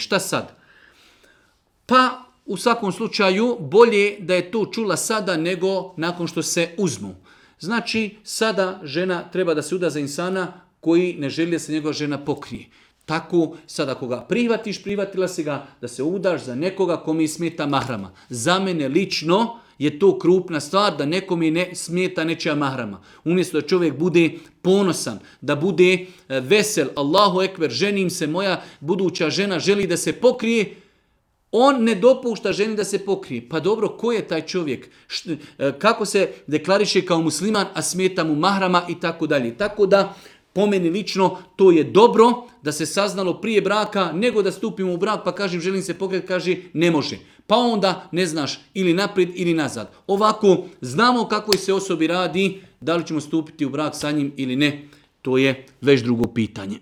Šta sad? Pa u svakom slučaju bolje da je to čula sada nego nakon što se uzmu. Znači sada žena treba da se uda za insana koji ne želi da se njegova žena pokrije. Tako, sad ako ga prihvatiš, prihvatila si ga da se udaš za nekoga kome smeta mahrama. Za mene lično je to krupna stvar da nekome ne smeta nečija mahrama. Umjesto da čovjek bude ponosan, da bude vesel, Allahu ekber, ženim se, moja buduća žena želi da se pokrije, on ne dopušta ženi da se pokrije. Pa dobro, ko je taj čovjek? Kako se deklariše kao musliman, a smeta mu mahrama i tako dalje. Tako da, po meni lično, to je dobro da se saznalo prije braka, nego da stupimo u brak pa kažem želim se pokrijeti, kaže ne može. Pa onda ne znaš ili naprijed ili nazad. Ovako, znamo kakvoj se osobi radi, da li ćemo stupiti u brak sa njim ili ne, to je već drugo pitanje.